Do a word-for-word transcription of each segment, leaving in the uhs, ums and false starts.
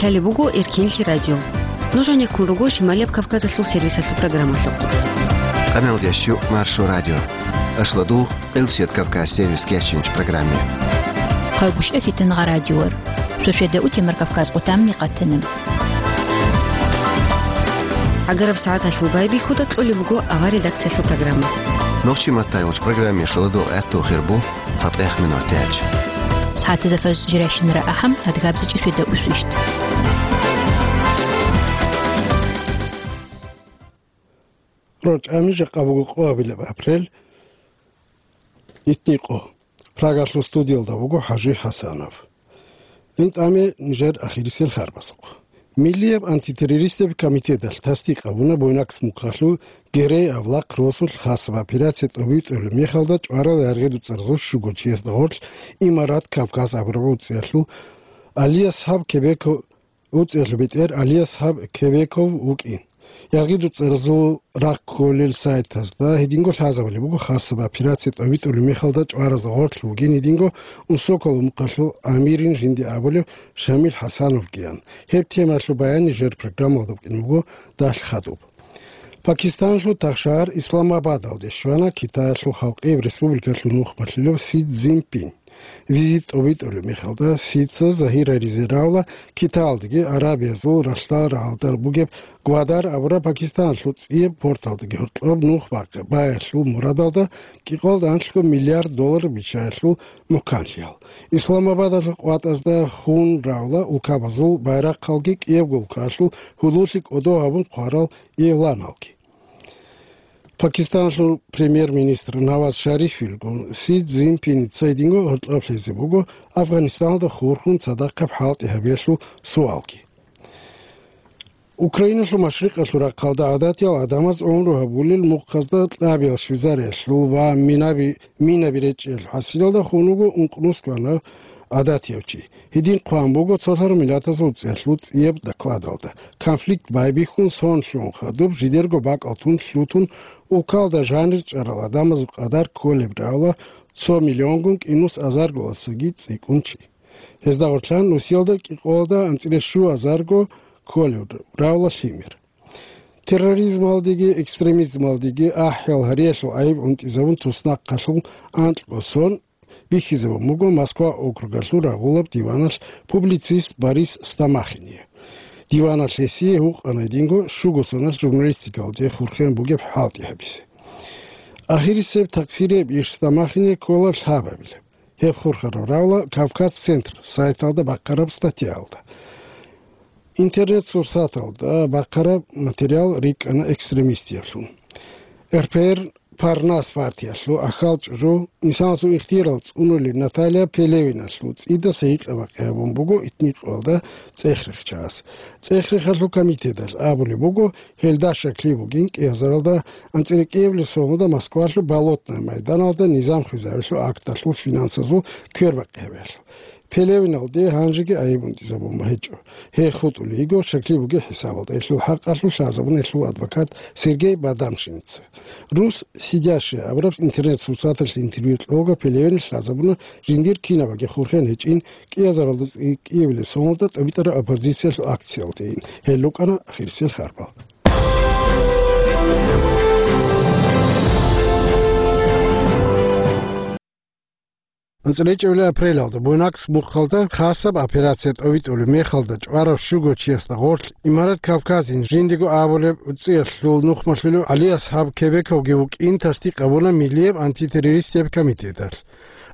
Лъалеб буго Эркинлъи радио. Нуж гьанеккун руго Шималияб Кавказалъул сервисалъул программалъухъ. Къаналдеш ю Маршо радио. Ашладу Къилсият Кавказ сервис кечинч программе. Хъайгущ эфитан гъа радиор. Шошеда утемар Кавказ къутамни къатана. Агараб сагӀаталъул байбихьуда кьолеб буго авар редакциялъул программа. Нохчи маттайгъуч программе шоладу гӀехту хирбу. ЦатӀех минутач. СагӀатазда фаз жирайщинара ахӀам, адгабзичӀеб шведа усвищт. РорчӀами жакъа буго къоабилеб апрель, итникъо. Прагалъул студиялда вуго ХӀажи ХӀасанов. ГьинтӀаме нижер ахирисел харбасухъ. Миллияб антитеррористаб комитеталъ тасдикъ гьабуна Буйнакск мухъалъул Герей-Авлахъ росулъ хасаб операция тӀобитӀулеб мехалда чӀварал яргъи дуцӀарзул щуго чиясда гъорлъ Имарат Кавказ абураб уцӀиялъул Алияс гьаб Кебеко-, уцӀиялъул бетӀер Алияс гьаб Кебеков вукӀин. Яргъи дуцӀарзул рахъ кколел сайтазда гьединго лъазабулеб буго хасаб операция тӀобитӀулеб мехалда чӀваразда гъорлъ вугин гьединго Унсоколо мухъалъул амирин жинди абулев Шамил ХӀасановгиян. Гьеб темалъул баян нижер программалда букӀин буго далъ хадуб. Пакистанлъул тахшагьар Исламабадалде щвана Китаялъул халкъияб республикалъул нухмалъулев Си Цзиньпин. Визит тӀобитӀулеб мехалда Сица загьирлъизе равла Китаялдаги Арабиязул ралъдал рагӀалда бугеб Гвадар абураб Пакистаналъул цӀияб порталдаги гьоркьоб нух бакъи баялъул мурадалда кӀикъоялда анлъго миллиард доллар биччаялъул мухӀканлъиял. Исламабадалъул къватӀазда хун равла улкабазул байрахъалги кӀиябго улкаялъул гьудуллъи кӀодо гьабун хъварал игъланалги. Пакистанлъул премьер-министр Наваз Шарифилгун Си Цзиньпиница гьединго гьоркьоб лъезе буго Афганистаналда хурхун цадахъаб хӀалтӀи гьабиялъул суалги. Украиналъул машрикъалъул рахъалда гӀадатиял гӀадамаз гӀумру гьабулел мухъазда кьабиял Швейцариялъул ва минаби, минаби речӀчӀиялъул хӀасилалда хун вуго ункънус квана гӀадатияв чи. Гьедин хъван буго цолъараб миллатазул цӀехлъул цӀияб докладалда. Конфликт байбихьун сон лъугӀун хадуб жидерго бакӀал тун лъутун, улкалда жанир чӀарал гӀадамазул къадар кколеб равла цо миллионгун кӀинус азарголасаги цӀикӀкӀун чи. Гьезда гъорлъан Русиялда кӀикъоялда анцӀила щу азарго кколеб равла лъимер. Терроризмалдеги экстремизмалдеги ахӀиял гьариялъул гӀайиб унтӀизабун туснахъалъул анкьго сон бихьизабун буго Москва округалъул рагъулаб диваналъ публицист Борис Стамахине. Диваналъ гьесие гьукъана гьединго щуго соналъ журналистикалде хурхен бугеб хӀалтӀи гьабизе. Ахирисеб такъсирияб иш Стамахине ккола лъабабилеб. Гьеб хурхараб равла Кавказ-Центр сайталда бахъараб статьяялда. Интернет-сурсаталда бахъараб материал рикӀкӀана экстремистиялъул. РПР Парнас партиялъул ахал чӀужу, инсанасул ихтиярал цӀунулел Наталья Пелевиналъул цӀидаса гьикъа-бакъи гьабун буго итникъоялда цӀехрехчагӀаз. ЦӀехрехалъул комитеталъ абулеб буго, гьелда щаклъи бугин кӀиазаралда анцӀила кӀиабилеб соналда Москвалъул Болотное майданалда низам хвезавилъул акталъул финансазул квербакъи гьабиялъул. Пелевиналде гьанжеги гӀайиб унтӀизабун гьечӀо. Гьей хутӀулей йиго, щаклъи бугеб хӀисабалда, гьелъул хӀакъалъулъ лъазабуна гьелъул адвокат Сергей Бадамшиница. «Рус сидящие» абураб интернет-сурсаталъе интервью кьолго Пелевиналъ лъазабуна жиндир кинабаги хурхен гьечӀин кӀиазаралда цӀикӀкӀиявилеб соналда тӀобитӀараб оппозициялъул акциялдейин. Гьел рукӀана ахирисел харбал. АнцӀила чӀебилеб апрелалда Буйнакск мухъалда хасаб операция тӀобитӀулеб мехалда чӀварав щуго чиясда гъорлъ Имарат Кавказин жиндего абулеб уцӀиялъул нухмалъулев Алияс гьаб Кебековги вукӀин тасдикъ гьабуна Миллияб антитеррористияб комитеталъ.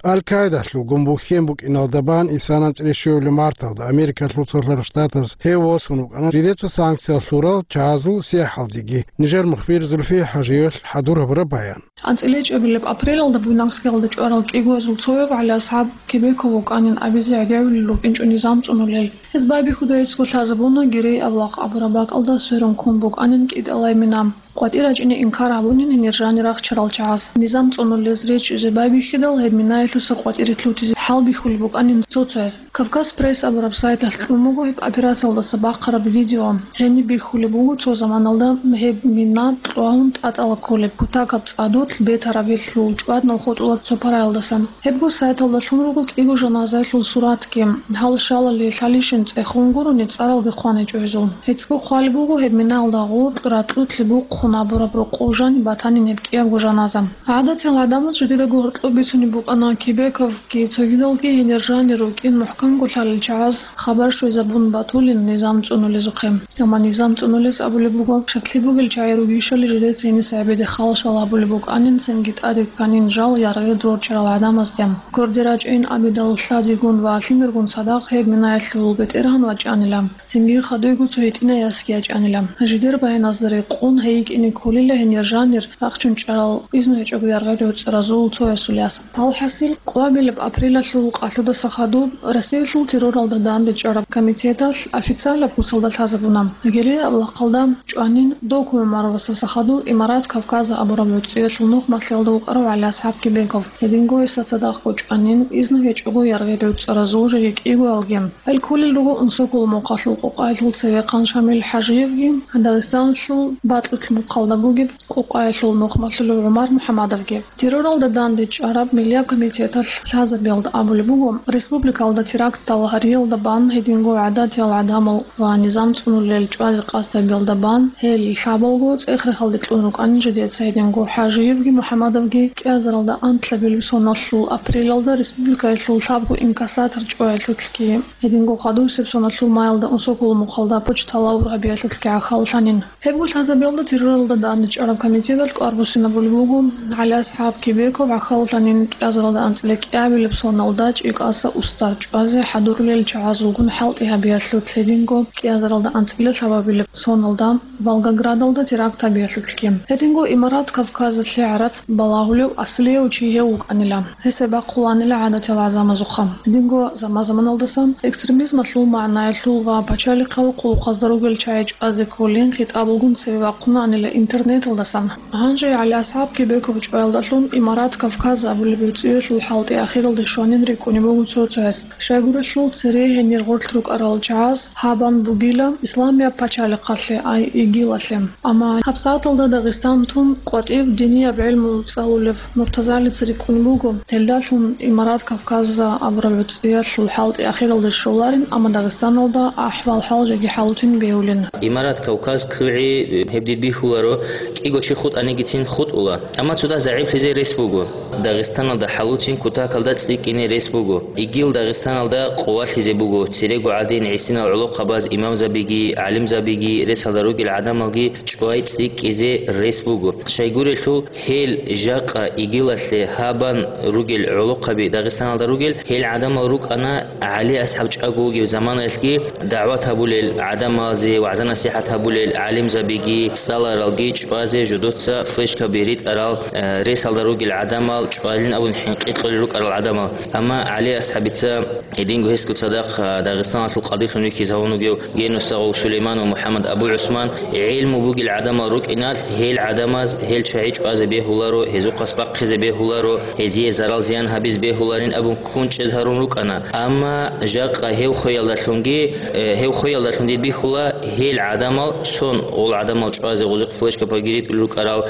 Аль-Каидалъулгун бухьен букӀиналда бан исана анцӀила щуабилеб марталда Америкалъул Цолъарал Штатаз гьев восун вукӀана жидеца санкция лъурал чагӀазул сихӀалдеги. Нижер мухбир Зульфия ХӀажиевалъ хӀадур гьабураб баян. АнцӀила чӀебилеб апрелалда Буйнакскиялда чӀварал кӀигоязул цояв ГӀалияс гьаб Кебековгун абизе гӀедегӀулел рукӀинчӀо низам цӀунулел. Гьез байбихьуда гьесго лъазабуна Герей-Авлахъ абураб бакӀалда сверун ккун букӀанин кӀитӀалай мина. КъватӀир рачӀине инкар гьабунин гьенир жанир рахчарал чагӀаз. Низам цӀунулез речӀчӀизе байбихьидал, гьеб минаялъуса къватӀире лъутизе гьал бихьулеб букӀанин цо-цояз. Кавказ Пресс абураб сайталъ кьун буго гьеб операциялдаса бахъараб видео. Гьениб бихьулеб буго цо заманалда гьеб мина кьвагьун тӀатӀала кколеб кутакаб цӀадулъ бетарабилъул чӀваднал хутӀула цо параялдасан. Гьебго сайталда лъун руго кӀиго жаназаялъул суратги. Гьал щалали лъалищин цӀехун гурони цӀаралги хъваничӀо гьезул. ГьецӀго хъвалеб буго гьеб минаялда гъоркь ракьулъ бухъун абураб рокъов жаниб батанин гьеб кӀиябго жаназа. ГӀадатиял гӀадамаз жидедаго гьоркьоб бицунеб букӀана Кебековги цогидалги гьенир жанир рукӀин мухӀканго лъалел чагӀаз хабар щвезабун батулин низам цӀунулезухъе. Амма низам цӀунулес абулеб буго, щаклъи бугел чагӀи ругищали жидеца гьениса гӀебеде халшал гьабулеб букӀанин, цинги тӀаде кканин жал яргъи дурччарал гӀадамазде. Кверде рачӀайин абидал лъадигун ва лъимергун цадахъ гьеб минаялъул бетӀергьан вачӀанила. Цинги хадуйго цо гьитӀинай ясги ячӀанила. Жидер баяназда рекъон гьей йикӀине кколила гьенир жанир рахчун чӀарал изну гьечӀого яргъел гӀуцӀаразул цоясул яс. Алхасил, къвабилеб апрелалъул къалъудаса хадуб Россиялъул терроралда данде чӀараб комитеталъ официалаб куцалда лъазабуна. Гьеле авлахъалда чӀванин Доку ГӀумаровасдаса хадуб Имарат Кавказа абураб гӀуцӀиялъул нухмалъиялда вукӀарав ГӀали АсхӀаб Кебеков. Гьединго гьесда цадахъго чӀванин изну гьечӀого яргъел гӀуцӀаразул жеги кӀиго алги. Гьел кколел руго Унсокол мухъалъул къокъаялъул цевехъан Шамил ХӀажиевги, Дагъистаналъул БатӀулъ мухъалда бугеб къокъаялъул нухмалъулев ГӀумар МухӀаммадовги. Терроралда данде чӀараб миллияб комитеталъ лъазабиялда абулеб буго, республикалда терактал гьариялда бан гьединго гӀадатиял гӀадамал ва низам цӀунулел чӀвазе къасд гьабиялда бан гьел лъабалго цӀех-рехалде кьун рукӀанин жидеца гьединго ХӀажиевги МухӀаммадовги кӀиазаралда анкьабилеб соналъул апрелалда республикаялъул лъабго инкассатор чӀваялъулъги. Гьединго хадусеб соналъул маялда Унсокол мухъалда почталъ гьабиялъулъги гӀахьаллъанин. Гьебго лъазабиялда терроралда данде чӀараб комитеталъ кӀвар буссинабулеб буго, ГӀали АсхӀаб Кебеков гӀахьаллъанин кӀиазаралда анцӀила кӀиабилеб соналда ЧӀикӀаса устар чӀвазе хӀадурулел чагӀазулгун хӀалтӀи гьабиялъулъ, гьединго кӀиазаралда анцӀила лъабабилеб соналда Волгоградалда теракт гьабиялъулъги. Гьединго Имарат Кавказалъе гӀарац балагьулев аслияв чи гьев вукӀанила. Гьесда бахъуланила гӀадатиял гӀадамазухъа. Гьединго заман-заманалдасан экстремизмалъул магӀнаялъул ва пачалихъал хъулухъазда ругел чагӀи чӀвазе кколин хитӀабалгун цеве вахъунаанила интернеталдасан. Гьанже ГӀали АсхӀаб Кебеков чӀваялдалъун Имарат Кавказ абулеб гӀуцӀиялъул хӀалтӀи ахиралде щванин рикӀкӀунеб буго цо-цояс. Щайгурелъул цере гьенир гъорлъ рукӀарал чагӀаз гьаб бан бугила исламияб пачалихъалъе, ай ИГИЛалъе. Амма гьабсагӀаталда Дагъистан тун къватӀив динияб гӀелму цӀалулев МуртазагӀалица рикӀкӀунеб буго, гьелдалъун Имарат Кавказа абураб гӀуцӀиялъул хӀалтӀи ахиралде щоларин, амма Дагъистаналда ахӀвал-хӀал жеги хӀалутин бегьулин. Имарат Кавказ лъугӀи гьеб дид бихьуларо, кӀиго чи хутӀанигицин хутӀула, амма цо дагь загӀиплъизе рес буго. Дагъистаналда хӀалуцин кутакалда цӀикӀкӀине рес буго. ИГИЛ Дагъистаналда къувалъизе буго, церего гӀадин гӀисинал гӀолохъабаз имамзабиги, гӀалимзабиги, ресалда ругел гӀадамалги чӀвай цӀикӀкӀизе рес буго. Щайгурелъул, гьел жакъа ИГИЛалъе гьаб бан ругел гӀолохъаби Дагъистаналда ругел, гьел гӀадамал рукӀана ГӀали АсхӀаб чӀаго вугев заманаялъги дагӀват гьабулел гӀадамалзе, вагӀза-насихӀат гьабулел гӀалимзабиги, цӀаларалги чӀвазе жодоца флешкаби ритӀарал, э, ресалда ругел гӀадамал чӀвалин абун хӀинкъи кьолел рукӀарал гӀадамал. Амма ГӀали АсхӀабица гьединго гьесго цадахъ, э, Дагъистаналъул къадилъун вихьизавун вугев Генусагъул Сулейман ва МухӀаммад Абу ГӀусман гӀелму бугел гӀадамал рукӀиналъ, гьел гӀадамаз гьел чагӀи чӀвазе бегьуларо, гьезухъас бахъизе бегьуларо, гьезие зарал-зиян гьабизе бегьуларин абун ккун чӀез гьарун рукӀана. Амма жакъа гьев хвеялдалъунги, э, гьев хвеялдалъун дид бихьула, гьел гӀадамал, сон гъол гӀадамал чӀвазе гъозихъ флешкабаги ритӀулел рукӀарал,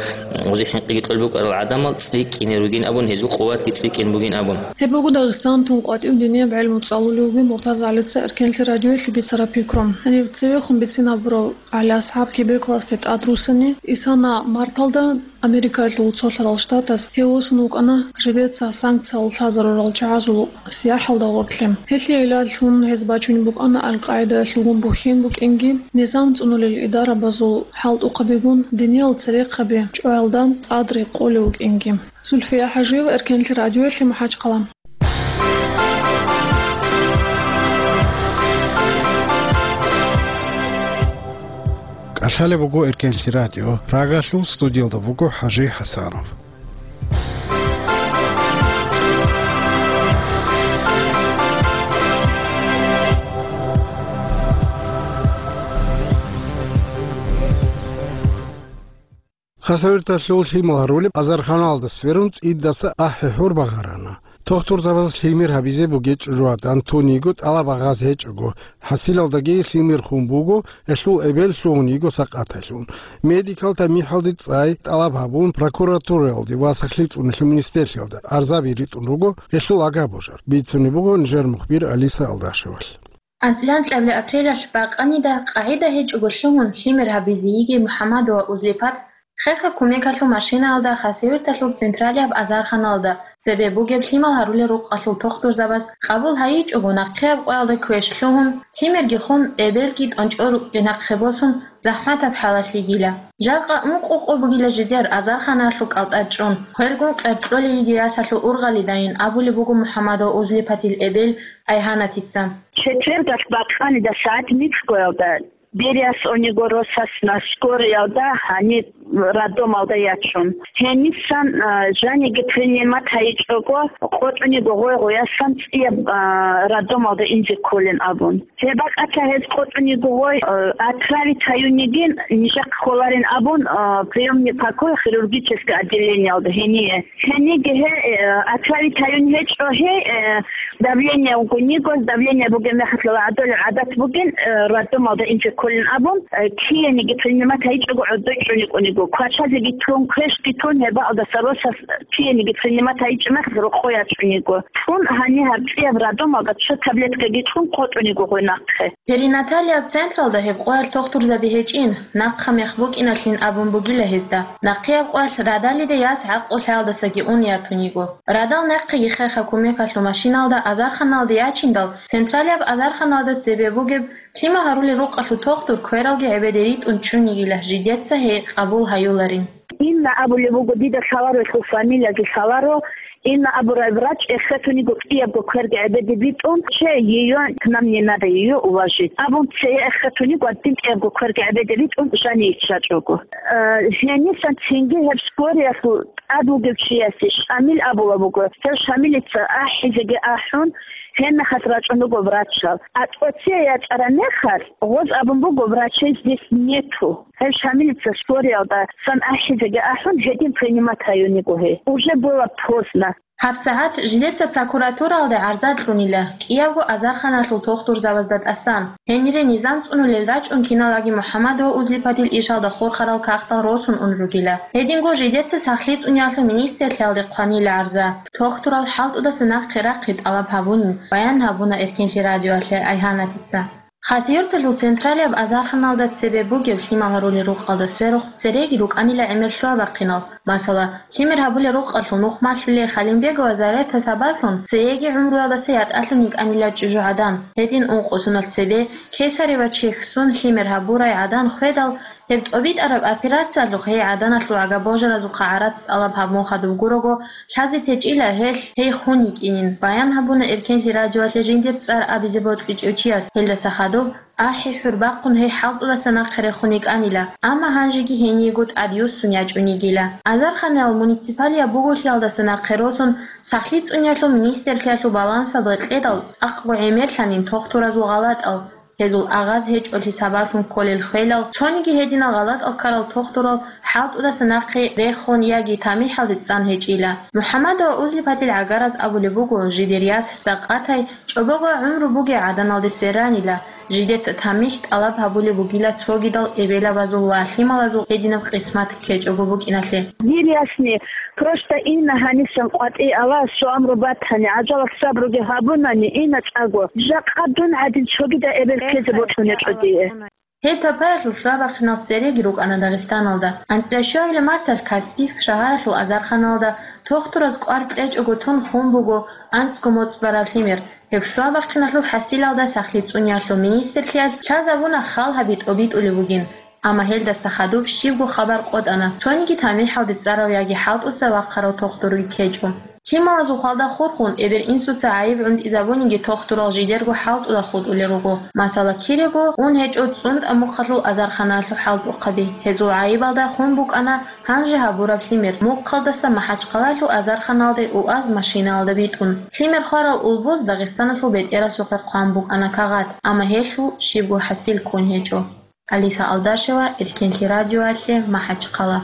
гъозихъ хӀинкъиги кьолеб букӀарал гӀадамал цӀикӀкӀине ругин абун, гьезул къуватги цӀикӀкӀин бугин абун. Гьеб буго Дагъистан тун къватӀив динияб гӀелму цӀалулев вугев МуртазагӀалица Эркенлъи радиоялъе бицараб пикру. Гьанив цевехун бицинабурав ГӀали АсхӀаб Кебековасде тӀад руссани, исана марталда Америкаялъул цолъарал штатаз гьев восун вукӀана жидеца санкциялъ лъазарурал чагӀазул сияхӀалда гъорлъе. Гьелъие гӀиллаллъун гьез бачунеб букӀана Аль-Къаидаялъулгун бухьен букӀинги, низам цӀунулел идарабазул хӀалтӀухъабигун диниял церехъаби чӀваялда тӀад рекъолев вукӀинги. Зульфия ХӀажиева, Эркенлъи радиоялъе, МахӀачхъала. КӀалъалеб буго Эркенлъи радио. Прагалъул студиялда буго ХӀажи ХӀасанов. Хасавюрталъул лъимал гьарулеб азарханалда сверун цӀидаса ахӀи-хӀур багъарана. Тухтурзабаз лъимер гьабизе бугеб чӀужугӀадан тун йиго тӀалаб гьабизе гьечӀого, хӀасилалдаги лъимер хун буго, гьелъул эбел лъугьун йиго сакъатайлъун. Медикал тамихӀалде цӀай тӀалаб гьабун прокуратураялде ва сахлъи цӀунулъул министрлъиялда арзаби ритӀун руго гьелъул агьаб-божар, бицунеб буго нижер мухбир Алиса Алдашевалъ. АнцӀила апрелалъ бакъанида къагӀида гьечӀого лъугьун лъимер гьабизе йиги МухӀаммадова Узлипат хеха кумекалъул машинаялда Хасавюрталъул централияб азарханалда цебе бугеб лъимал гьарулел рукъалъул тухтурзабаз къабул гьайичӀого нахъеяб къоялда квеш лъугьун, лъимерги хун, эбелги тӀончӀо рукӀин нахъе босун, захӀматаб хӀалалъ йигила. Жакъа ункъо къо бугила жидер азарханалъул кӀалтӀа чӀун, хвелгун къеркьолей йиги ясалъул ургъалидайин абулеб буго МухӀаммадова Узлипатил эбел Айгьанатица. Четвергалъ бакъанида сагӀат нилъ къоялда Бериас ониго росасна скорыялда гьаниб роддомалда ячун. Гьенисан, а, жаниги принимат гьайичӀого, къотӀуниго гъой-гъоясан цӀияб, а, роддомалда инзе кколин абун. Гьеб бакӀалъа гьез къотӀуниго гъой, а, отравить гьаюнигин, нижехъ кколарин абун, а, приёмный покой хирургическое отделениялда гьение. Гьениги гьей, э, отравить гьаюн гьечӀо гьей, э, давление вугониго, давление бугеб мехалъ гӀадолев гӀадат бугин, э, роддомалда инзе кколин абун, э, кияниги принимать гьайичӀого гӀодой чӀуникӀуниго. Квачазеги тун, квешги тун, гьебаалдаса росас кияниги принимать гьайичӀеб мехалъ рокъой ячӀуниго. Тун гьаниб гьаб цӀияб роддомалда цо таблеткаги кьун къотӀуниго гъой нахъе. Перинаталияб централда гьеб къоялъ тухтурзаби гьечӀин, нахъа мех букӀиналъин абун бугила гьезда. Нахъеяб къоялъ радалида яс гӀакълу лъаялдасаги ун ятун йиго. Радал нахъеги хеха кумекалъул машиналда азарханалде ячиндал, централияб азарханалда цебе бугеб лъимал гьарулел рукъалъул тухтур квералги гӀебеде ритӀун чӀун йигила, жидеца гьей къабул гьаюларин. Инна абулеб буго, дида лъаларо, гьелъул фамилияги лъаларо, Инна абураб врач эхетун йиго кӀиябго кверги гӀебеде битӀун, че её к нам не надо, её уложить абун, цее эхетун йиго гьадин кӀиябго кверги гӀебеде битӀун жаница чӀого. Э, гьенисан цинги гьеб скорыялъул тӀад вугев чиясе Шамил абулеб буго. Гьев Шамилица ахӀизеги ахӀун, гьеб мехалъ рачӀун руго врачал. А тӀоцее ячӀараб мехалъ, гъоз абун буго: «Врачей здесь нету». Гьев Шамилица скорыялдасан ахӀизеги ахӀун, гьедин принимать гьаюн йиго гьей. Уже было поздно. ГьабсагӀат жидеца прокуратуралда гӀарза кьунила, кӀиябго азарханалъул тухтурзабазда тӀасан. Гьенире низам цӀунулел рачӀун киналги МухӀаммадова Узлипатил ишалда хурхарал кагътал росун ун ругила. Гьединго жидеца сахлъи цӀуниялъул министрлъиялде хъванила гӀарза. Тухтурал хӀалтӀудаса нахъе рахъи тӀалаб гьабунин, баян гьабуна Эркенлъи радиоялъе Айгьанатица. Хасавюрталъул централияб азарханалда цебе бугеб лъимал гьарулел рукъалда сверухъ цереги рукӀанила гӀемер лъугьа-бахъинал. Масала, лъимер гьабулел рукъалъул нух малъулей Халимбегова Зарета сабаблъун цееги гӀумруялдаса ятӀалъун йикӀанила чӀужугӀадан. Гьедин ункъо соналъ цебе кесарево чехьсун лъимер гьабурай гӀадан хведал, гьеб тӀобитӀараб операциялъухъ гьей гӀаданалъул агьаб-божаразухъа гӀарац тӀалаб гьабун хадуб гурого, лъазе течӀила гьелъ гьей хун йикӀинин, баян гьабуна Эркенлъи радиоялъе жиндир цӀар абизе бокьичӀев чияс, гьелдаса хадуб, ахӀи, хӀурбахъун гьей хӀалтӀудаса нахъе рехун йикӀанила, амма гьанжеги гьениего тӀадюссун ячӀун йигила. Азарханал муниципалияб буголъиялдаса нахъе росун, сахлъи цӀуниялъул министрлъиялъул балансалда кьедал цӀакъго гӀемерлъанин тухтуразул гъалатӀал, гьезул агъаз гьечӀолъи сабаблъун кколел хвелал, цониги гьединал гъалатӀал ккарал тухтурал хӀалтӀудаса нахъе рехун яги тамихӀалде цӀан гьечӀила. МухӀаммадова Узлипатил гӀагараз абулеб буго, жидер яс сакъатай, чӀобого гӀумру бугей гӀаданалде сверанила, жидеца тамихӀ тӀалаб гьабулеб бугила цогидал эбелабазул ва лъималазул гьединаб къисмат ккечӀого букӀиналъе. Дир ясни, просто Инна гьанисан къватӀи ала, суамру батани, гӀажалат сабруги гьабунани, Инна цӀаго, жакъа дун гӀадин цогидал эбел ккезе бокьун гьечӀо дие. Гьеб тапаялъул лъугьа-бахъинал цереги рукӀана Дагъистаналда. АнцӀила щуабилеб марталъ Каспийск шагьаралъул азарханалда тухтураз кӀвар кьечӀого тун хун буго анцӀго моцӀ бараб лъимер. Гьеб лъугьа-бахъиналъул хӀасилалда сахлъи цӀуниялъул министрлъиялъ лъазабуна хал гьаби тӀобитӀулеб бугин. Амма гьелдаса хадуб щибго хабар къотӀана, цониги тамихӀалде цӀарав яги хӀалтӀуса вахъарав тухтурги ккечӀо. Лъималазул хвалда хурхун, эбел-инсуца гӀайиб гӀунтӀизабуниги тухтурал жидерго хӀалтӀуда хутӀулел руго. Масала, кирего ун гьечӀо цӀунтӀа мухъалъул азарханалъул хӀалтӀухъаби. Гьезул гӀайибалда хун букӀана гьанже гьабураб лъимер, мухъалдаса МахӀачхъалалъул азарханалде УАЗ машинаялда битӀун. Лъимер хварал улбуз Дагъистаналъул бетӀерасухъе хъван букӀана кагъат, амма гьелъул щибго хӀасил ккун гьечӀо. Алиса Алдашева, Эркенлъи радиоялъе, МахӀачхъала.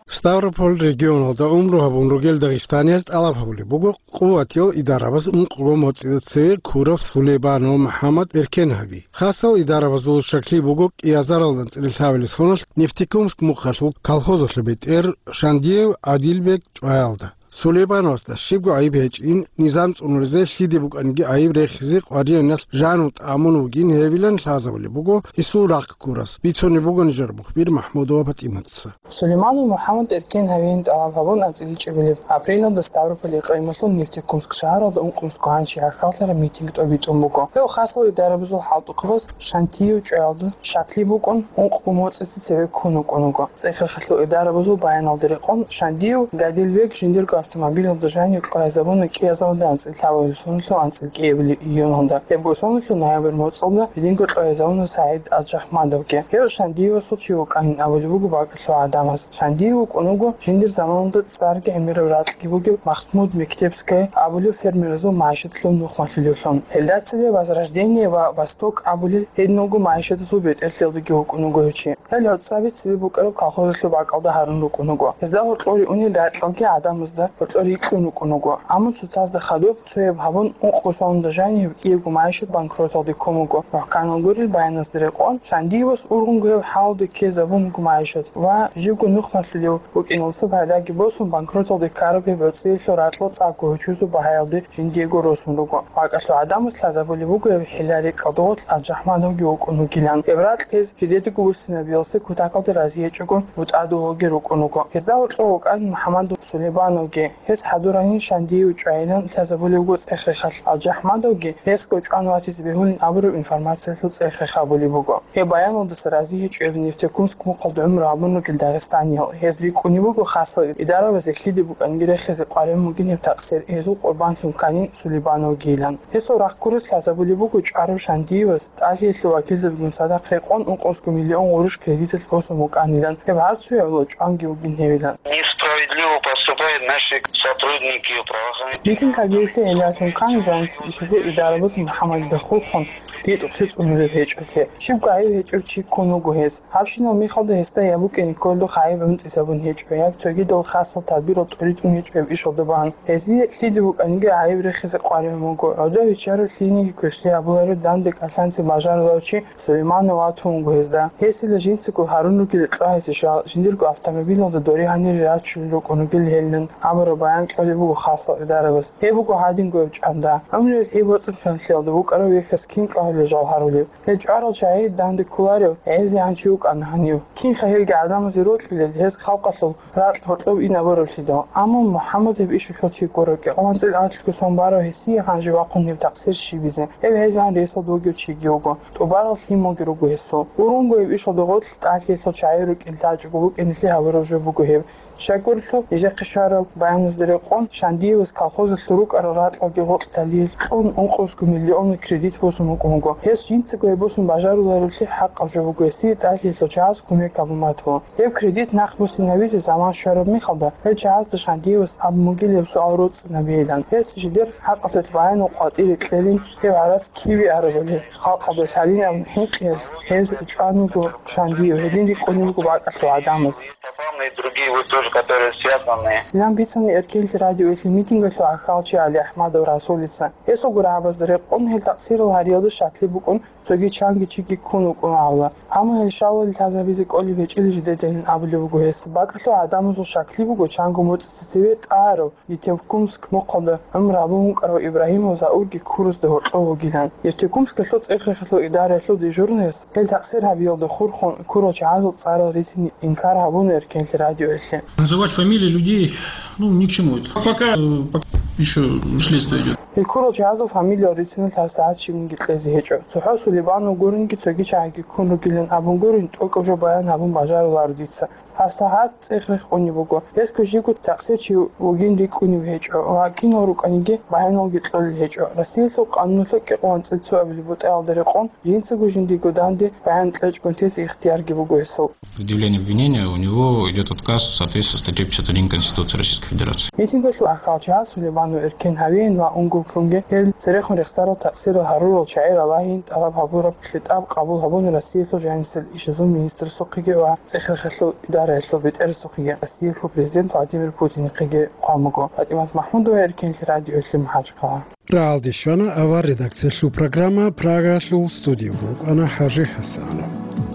Ставрополь регионалда умру гьабун ругел дагъистанияз тӀалаб гьабулеб буго къуватиял идарабаз ункъго моцӀида цеве ккурав Сулейбанов МухӀаммад эркен гьави. Хасал идарабазул щаклъи буго кӀиазаралда анцӀила лъабилеб соналъ Нефтекумск мухъалъул колхозалъул бетӀер Шандиев Адилбек чӀваялда. Сулейбановасда щибго гӀайиб гьечӀин, низам цӀунулезе лъиде букӀаниги гӀайиб рехизе къваригӀуналъ жану тӀамун вугин гьевилан лъазабулеб буго гьесул рахъ ккурас, бицунеб буго нижер мухбир МахӀмудова ПатӀиматца. Сулейманов МухӀаммад эркен гьавиин тӀалаб гьабун анцӀила чӀебилеб апрелалда Ставрополь къималъул Нефтекумск шагьаралда ункънусго гьанчи гьахьаллъараб митинг тӀобитӀун буго. Гьев хасал идарабазул хӀалтӀухъабаз Шандиев чӀваялда щаклъи букӀун, ункъго моцӀица цеве ккун вукӀун вуго. ЦӀехрехалъул идарабазул баяналда рекъон, Шандиев Гадилбек жиндирго автомобилалда жанив кьвагьизабуна кӀиазаралда анцӀила лъабабилеб соналъул анцӀила кӀиабилеб июналда. Гьебго соналъул ноябрь моцӀалда гьединго кьвагьизабуна СагӀид Аджахмадовги. Гьев Шандиевасул чи вукӀанин абулеб буго бакӀалъул гӀадамаз. Шандиев вукӀун вуго жиндир заманалда цӀарги гӀемераб ракьги бугев Махмуд Мектебская абулев фермеразул магӀишатлъул нухмалъулевлъун. Гьелда цебе Возрождение ва Восток абулел гьединго магӀишатазул бетӀерлъиялдаги вукӀун вуго гьев чи. Гьел гӀуцӀаби цебе букӀараб колхозалъул бакӀалда гьарун рукӀун вуго. Гьезда гьоркьор ригӀунел ракьалги гӀадамазда гьоркьор рикьун рукӀун вуго. Амма цоцазда хадуб цояб гьабун, ункъго соналда жанив кӀиябго магӀишат банкроталде ккун вуго. МухӀканал гурел баяназда рекъон, Шандиевас ургъунго гьеб хӀалалде ккезабун буго магӀишат ва живго нухмалъулев вукӀиналдаса пайдаги босун, банкроталде ккараб гьеб гӀуцӀиялъул ракьал цӀакъго гьучӀузул багьаялде жиндиего росун руго. БакӀалъул гӀадамаз лъазабулеб буго гьеб хӀилла-рекӀкӀалда гъорлъ Аджахмадовги вукӀун вугилан. Гьеб ракь гьез жидедаго буссинабиялъе кутакалда разиячӀого бутӀа-дугьалги рукӀун вуго. Гьезда гьоркьов вукӀана МухӀаммад Сулейбановги. Гьес хӀадуранин Шандиев чӀвайилан лъазабулеб буго цӀехрехалъ. Аджахмадовги гьесго чӀван ватизе бегьулин абураб информациялъул цӀехрех гьабулеб буго. Гьеб баяналдаса разигьечӀо гьев Нефтекумск мухъалда гӀумру гьабун ругел дагъистаниял. Гьез рикӀкӀунеб буго хасал идарабазе лъиде букӀанги рехизе къваригӀун бугин гьеб такъсир, гьезул къурбанлъун кканин Сулейбановгийилан. Гьесул рахъ ккурас лъазабулеб буго чӀварав Шандиевас тӀалъиялъул вакилзабигун цадахъ рекъон ункънусго миллион гъурущ кредиталъ босун букӀанилан, гьеб гьарцуе гӀоло чӀванги вугин гьевилан. Несправедливо поступают наши сотрудники правоохранительных. Митинг гьабиялъе гӀиллалъун ккани жанис ишазул идарабаз МухӀаммадида хурхун, ритӀухълъи цӀунулеб гьечӀолъи. Щибго гӀайиб гьечӀев чи ккун вуго гьес. Гьабщинал мехалда гьесда я букӀине кколеб гӀайиб гӀунтӀизабун гьечӀо, я цогидал хасал тадбирал тӀуритӀун гьечӀо гьеб ишалда бан. Гьезие лъиде букӀаниги гӀайиб рехизе къваригӀун вуго. ГӀодов гьечӀарав лъиениги квешлъи гьабуларев дандекӀалъанци бажаруларев чи Сулейманов ватун вуго гьезда. Гьесила жинцаго гьарун ругел кьвагьизе жал, жиндирго автомобилалда дори гьанире рачулел рукӀун ругел гьелилан абураб баян кьолеб буго хасал идарабаз. Гьеб буго гьадинго гьеб чӀанда. ГӀумруялъ гьеб боцӀи-ханлъиялда букӀарав вехьас кин кӀвагьулел жал гьарулеб? Гьел чӀварал чагӀи данде кколарев гӀезегӀан чи вукӀана гьанив. Кин-ха гьелги гӀадамазе рокьулел, гьез халкъалъул ракь гьоркьоб ин абураблъидал. Амма МухӀаммад гьеб ишалъул чиго рокӀи, къванцӀил анлъго сон барав гьесие гьанже вахъун гьеб такъсир щибизе. Гьев гьезегӀан ресалда вугев чиги вуго, тӀубарал лъималги руго гьесул. Ургъунго гьеб ишалда гъорлъ тӀалъиялъул чагӀи рукӀин лъачӀого букӀинеблъи гьабураб жо буго гьеб. Щайгурелъул, нижехъе щвараб баяназда рекъон, Шандиевас колхозалъул рукӀарал ракьалги гъоркьлъалъе кьун ункънусго миллионал кредит босун букӀун буго. Гьес жинцаго гьеб босун бажарулареблъи хӀакъаб жо буго гьесие тӀалъиялъул чагӀаз кумек гьабун батун. Гьеб кредит нахъ буссинабизе заман щвараб мехалда, гьел чагӀазда Шандиевас абун бугила гьеб суал роцӀцӀинабейилан. Гьес жидер хӀакъалъулъ баянал къватӀире кьелин, гьеб гӀарац киве арабали, халкъалда лъалин абун хӀинкъиялъ гьез чӀван вуго Шандиев, гьедин рикӀкӀунеб буго бакӀалъул гӀадамаз. Попал на и другие, вот тоже, которые связаны. Гьелан бицана Эркенлъи радиоялъе митингалъул гӀахьалчи ГӀалиахӀмадов Расулица. Гьесул гурабазда рекъон гьел такъсирал гьариялда щаклъи букӀун, цоги чанги чиги ккун вукӀун абула. Амма гьел щалалде лъазабизе кколеб гьечӀила жидедайин абулеб буго гьес. БакӀалъул гӀадамазул щаклъи буго чанго моцӀица цеве тӀагӀарав Нефтекумск мухъалда гӀумру гьабун вукӀарав Ибрагьимов Заурги ккурасда гьоркьов вугилан. Нефтекумскалъул цӀехрехалъул идараялъул дежурныяс гьел такъсир гьабиялда хурхун ккурал чагӀазул цӀарал рицин инкар гьабуна Эркенлъи радиоялъе. Называть фамилии людей, ну, ни к чему это. Пока, э, пока еще следствие идет. Гьел ккурал чагӀазул фамилиял рициналъ гьабсагӀат щибниги кьезе гьечӀо. ЦохӀо Сулейбанов гуринги цоги чагӀиги ккун ругилан абун гурин, тӀокӀаб жо баян гьабун бажаруларо дица. ГьабсагӀат цӀехрех къунеб буго. Гьесго жибго такъсир чи вугин рикӀкӀунеб гьечӀо ва кинал рукӀаниги баяналги кьолел гьечӀо. Россиялъул къануналъул кӀикъоялда анцӀила цоабилеб бутӀаялда рекъон, жинцаго жиндиего данде баян кьечӀого тезе ихтиярги буго гьесул. Предъявление обвинения, у него идет отказ в соответствии со статьей пятьдесят один Конституции Российской Федерации. Митингалъул гӀахьалчи Сулейманов Эркен гьавеян ва унго Лъунги гьел церехун рехсарал такъсирал гьарурал чагӀи ралагьин тӀалаб гьабураб хитӀаб къабул гьабуна Россиялъул жанисел ишазул министрасухъеги ва цӀехрехалъул идараялъул бетӀерасухъеги, Россиялъул президент Владимир Путинихъеги хъван буго. ПатӀимат МахӀмудова, Эркенлъи радиоялъе, МахӀачхъала. Рагьалде щвана авар редакциялъул программа, Прагалъул студиялда рукӀана ХӀажи ХӀасанов.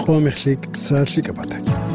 Къо мехлъи ккеса лъикӀаб батаги.